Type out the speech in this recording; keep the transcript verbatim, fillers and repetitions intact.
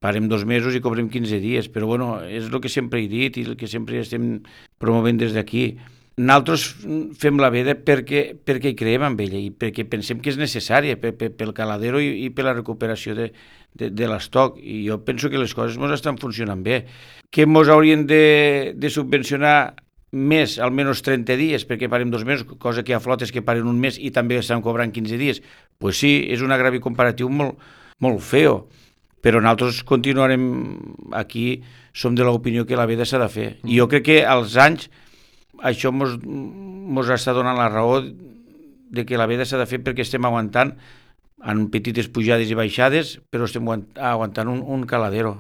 parem dos mesos i cobrem quinze dies, però bueno, és el que sempre he dit i el que sempre estem promovent des d'aquí. Nosaltres fem la veda perquè, perquè hi creiem en ella i perquè pensem que és necessària per, per, pel caladero i, i per la recuperació de, de, de l'estoc. I jo penso que les coses ens estan funcionant bé. Que ens haurien de, de subvencionar més, almenys trenta dies, perquè parem dos mesos, cosa que hi ha flotes que paren un mes i també estan cobrant quinze dies. Doncs pues sí, és un agravi comparatiu molt, molt feo, però nosaltres continuarem aquí, som de l'opinió que la veda s'ha de fer. I jo crec que als anys això mos, mos està donant la raó de que la veda s'ha de fer perquè estem aguantant en petites pujades i baixades, però estem aguantant un, un caladero.